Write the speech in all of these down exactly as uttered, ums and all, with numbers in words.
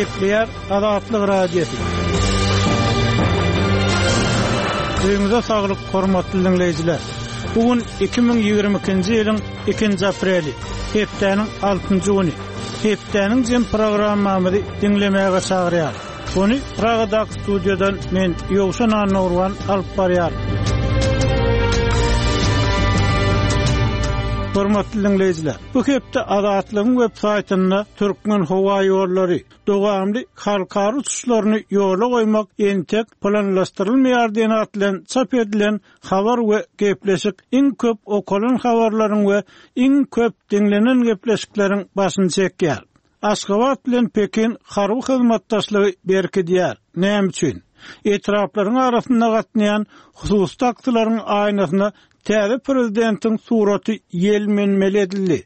Gepleýär Azatlyk Radiosy. Öýüňize saglyk, hormatly dinleýjiler. Bu gün iki müň ýigrimi ikinji ýylyň ikinji apreli, hepdäniň altynjy güni. Hepdäniň jem programmamyzy diňlemäge çagyrýar. Ony Pragadaky studiýadan men Ýowşan Annagurban alyp barýar. Hormatly dinleýjiler, bu hepde Azatlygyň web saýtynda Türkmen howa ýollary dowamly halkara uçuşlaryny ýola goýmak entek planlaşdyrylmaýar diýen at bilen çap edilen habar we gepleşik iň köp okalan habarlaryň we iň köp diňlenen gepleşikleriň başyny çekýär. Aşgabat bilen Pekin harby hyzmatdaşlygy berkidýär. Näme üçin? Etraplaryň arasynda gatnaýan hususy taksilaryň aýnasyna täze prezidentiň suraty ýelmenmeli edildi.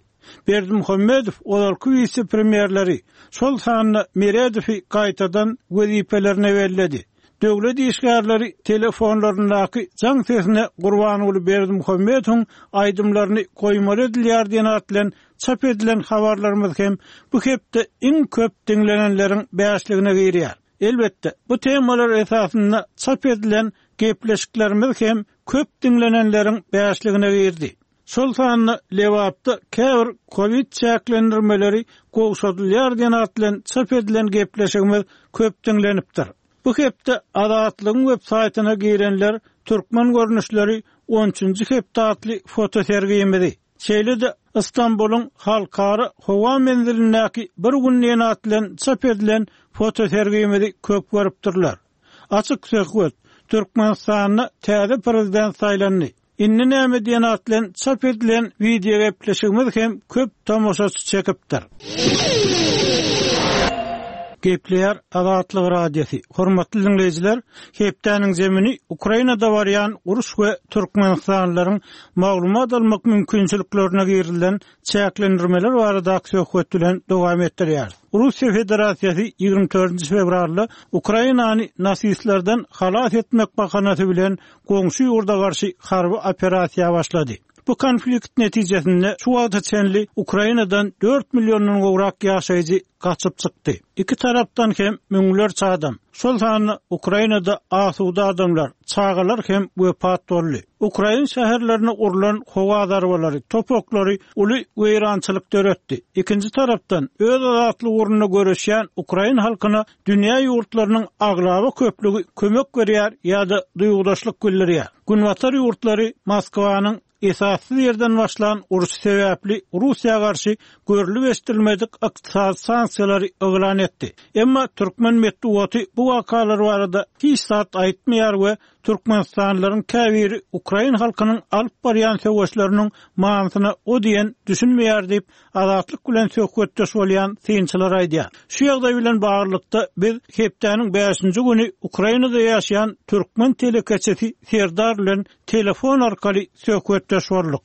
Berdimuhamedow ozalky wise-premýerleri, şol sanda Meredowy gaýtadan wezipelerine belledi. Döwlet işgärleri telefonlaryndaky jaň sesine Gurbanguly Berdimuhamedowyň aýdymlaryny goýmaly edilýär diýen at bilen çap edilen habarlarymyz hem bu hepde iň köp diňlenenleriň bäşligine girýär. Elbetde, bu temalar esasynda çap edilen gepleşiklerimiz hem köp diňlenenleriň bäşligine girdi. Şol sanda Lebapda käbir Covid çäklendirmeleri gowşadylýar diýen at bilen çap edilen gepleşigimiz köp diňlenipdir. Bu hepde Azatlygyň web saýtyna girenler Türkmen görnüşleri on üçünji hepde atly fotosergimizi, şeýle-de Istanbulyň halkara howa menzilindäki bir gün diýen at bilen çap edilen fotosergimizi köp görüpdirler. Açyk söhbet, Türkmenistanda täze prezident saýlandy. Indi näme diýen at bilen çap edilen video gepleşigimiz hem köp tomaşaçy çekipdir. Gepleýär Azatlyk Radiosy. Hormatly dinleýjiler, hepdäniň zemini Ukrainada barýan uruş we Türkmenistanlylaryň maglumat almak mümkinçiliklerine girilen çäklendirmeler baradaky söhbet bilen dowam etdirýär. Russiýa Federasiýasy ýigrimi dördünji fewralda Ukrainany nasistlerden halas etmek bahanasy bilen goňşy ýurda garşy harby operasiýa başlady. Bu konflikt netijesinde şu wagta çenli Ukrainadan dört milliondan gowrak ýaşaýjy gaçyp çykdy. Iki tarapdan hem müňlerçe adam, şol sanda Ukrainada asuda adamlar, çagalar hem wepat boldy. Ukrain şäherlerine urlan howa zarbalary, topaklary uly weýrançylyk döretdi. Ikinji tarapdan öz azatlyk ugrunda göreşýän Ukrain halkyna dünýä ýurtlarynyň aglaba köplügi kömek berýär ýa-da duýgudaşlyk bildirýär. Günbatar ýurtlary Moskwanyň esassyz ýerden başlan uruş sebäpli Russiýa garşy görlüp eşdilmedik ykdysady sanksiýalary yglan etdi. Emma türkmen metbugaty bu wakalar barada hiç zat aýtmaýar we Türkmenistanlylaryň käbiri Ukrain halkynyň alyp barýan söweşleriniň manysyna o diýen düşünmeýär diýip Azatlyk bilen söhbetdeş bolýan synçylar aýdýar. Şu ýagdaý bilen baglylykda biz hepdäniň bäşinji güni Ukrainada ýaşaýan türkmen telekeçisi Serdar bilen telefon arkaly söhbetdeş bolduk.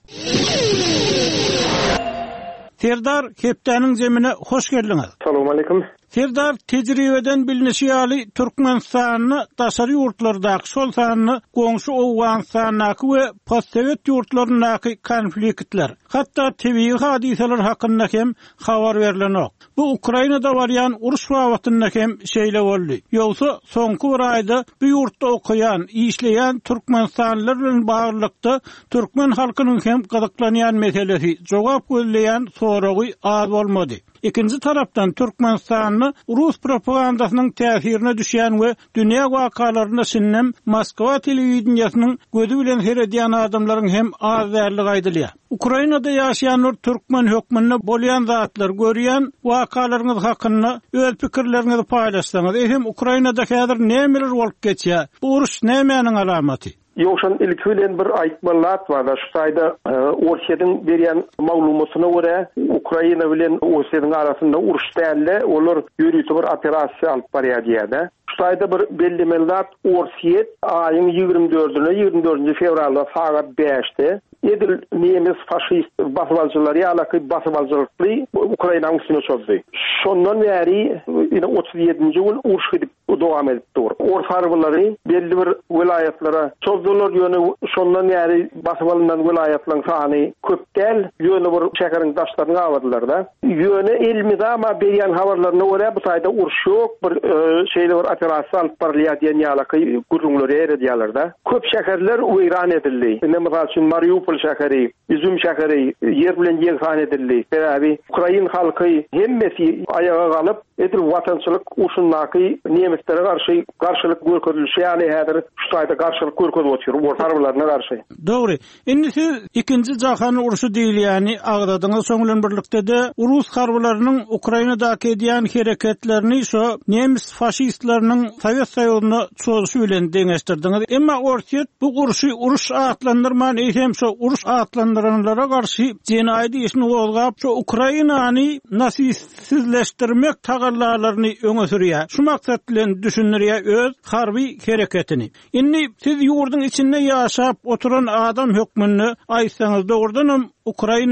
Serdar, hepdäniň zemine hoş geldiňiz. Salam aleyküm. Serdar, tejribeden bilinişi ýaly Türkmenistanda daşary ýurtlardaky, şol sanda goňşy Owganystandaky we postsowet ýurtlaryndaky konfliktler, hatda tebigy hadysalar hakynda hem habar berilenok. Bu Ukrainada barýan uruş babatynda hem şeýle boldy. Ýogsa soňky bir aýda bu ýurtda okaýan, işleýän Türkmenistanlylar bilen baglylykda türkmen halkynyň hem gyzyklanýan meselesi, jogap gözleýän soragy az bolmady. Ikinji tarapdan Türkmenistanda Rus propagandasynyň täsirine düşýän we dünýä wakalaryna şindem Moskwa telewideniýesiniň gözi bilen seredýän adamlaryň hem az däligi aýdylýar. Ukrainada ýaşaýanlar türkmen hökmünde bolýan zatlar görýän wakalaryňyz hakynda öz pikirleriňizi paýlaşsaňyz, ehem Ukrainada häzir nämeler bolup geçýär? Bu uruş nämäniň alamaty? Ýowşan ilki bilen bir aýtmaly zat bar. Şu taýda, e, Orsýetiň berýän maglumatyna görä Ukraina bilen Orsýetiň arasynda uruş däldi, olar ýörite bir operasiýa alyp barýar diýýär. Şu taýda bir belli zat, Orsýet aýyň ýigrimi dördüne, ýigrimi dördünji fewralda sagat bäşde Edil nemes faşist basybalyjylary ýalaky basybalyjylykly Ukrainanyň üstüne çozdy. Şondan bäri ine otuz ýedinji gün uruş gidip dowam edip dur. Ors harbylary belli bir welaýatlara çozdular, ýöne şondan bäri basyp alynan welaýatlaryň sany köp däl, ýöne bir şäheriň daşlaryny gabadylar-da. Ýöne elmydama berýän habarlaryna görä bu taýda uruş ýok, bir, e, şeýle bir operasiýa alyp barylýar diýen ýalaky gürrüňleri ýerediýärler-de. Köp şäherler weýran edildi. Ine mysal üçin Mariupol şäheri, Izum şäheri ýer bilen ýegsan edildi. Sebäbi Ukrain halky hemmesi aýaga galyp, edil watançylyk urşundaky nemislere garşy garşylyk görkezilişi ýaly häzir şu taýda garşylyk görkezip otyr, ors harbylaryna garşy. Dogry. Indi siz ikinji jahan urşy diýilýäni agzadyňyz, şoň bilen birlikde-de rus harbylarynyň Ukrainadaky edýän hereketlerini şo nemes faşistleriniň Sowet Soýuzyna çozuşy bilen deňeşdirdiňiz. Emma Orsýet bu urşy uruş atlandyrman, eýsem şo uruş atlandyranlara garşy jenaýat işini gozgap, şo Ukrainany nasistsizleşdirmek tagallalaryny öňe sürýär. Şu maksat bilen düşündirýär öz harby hereketini. Indi siz ýurduň içinde ýaşap oturan adam hökmünde aýtsaňyz, dogrudanam Ukraina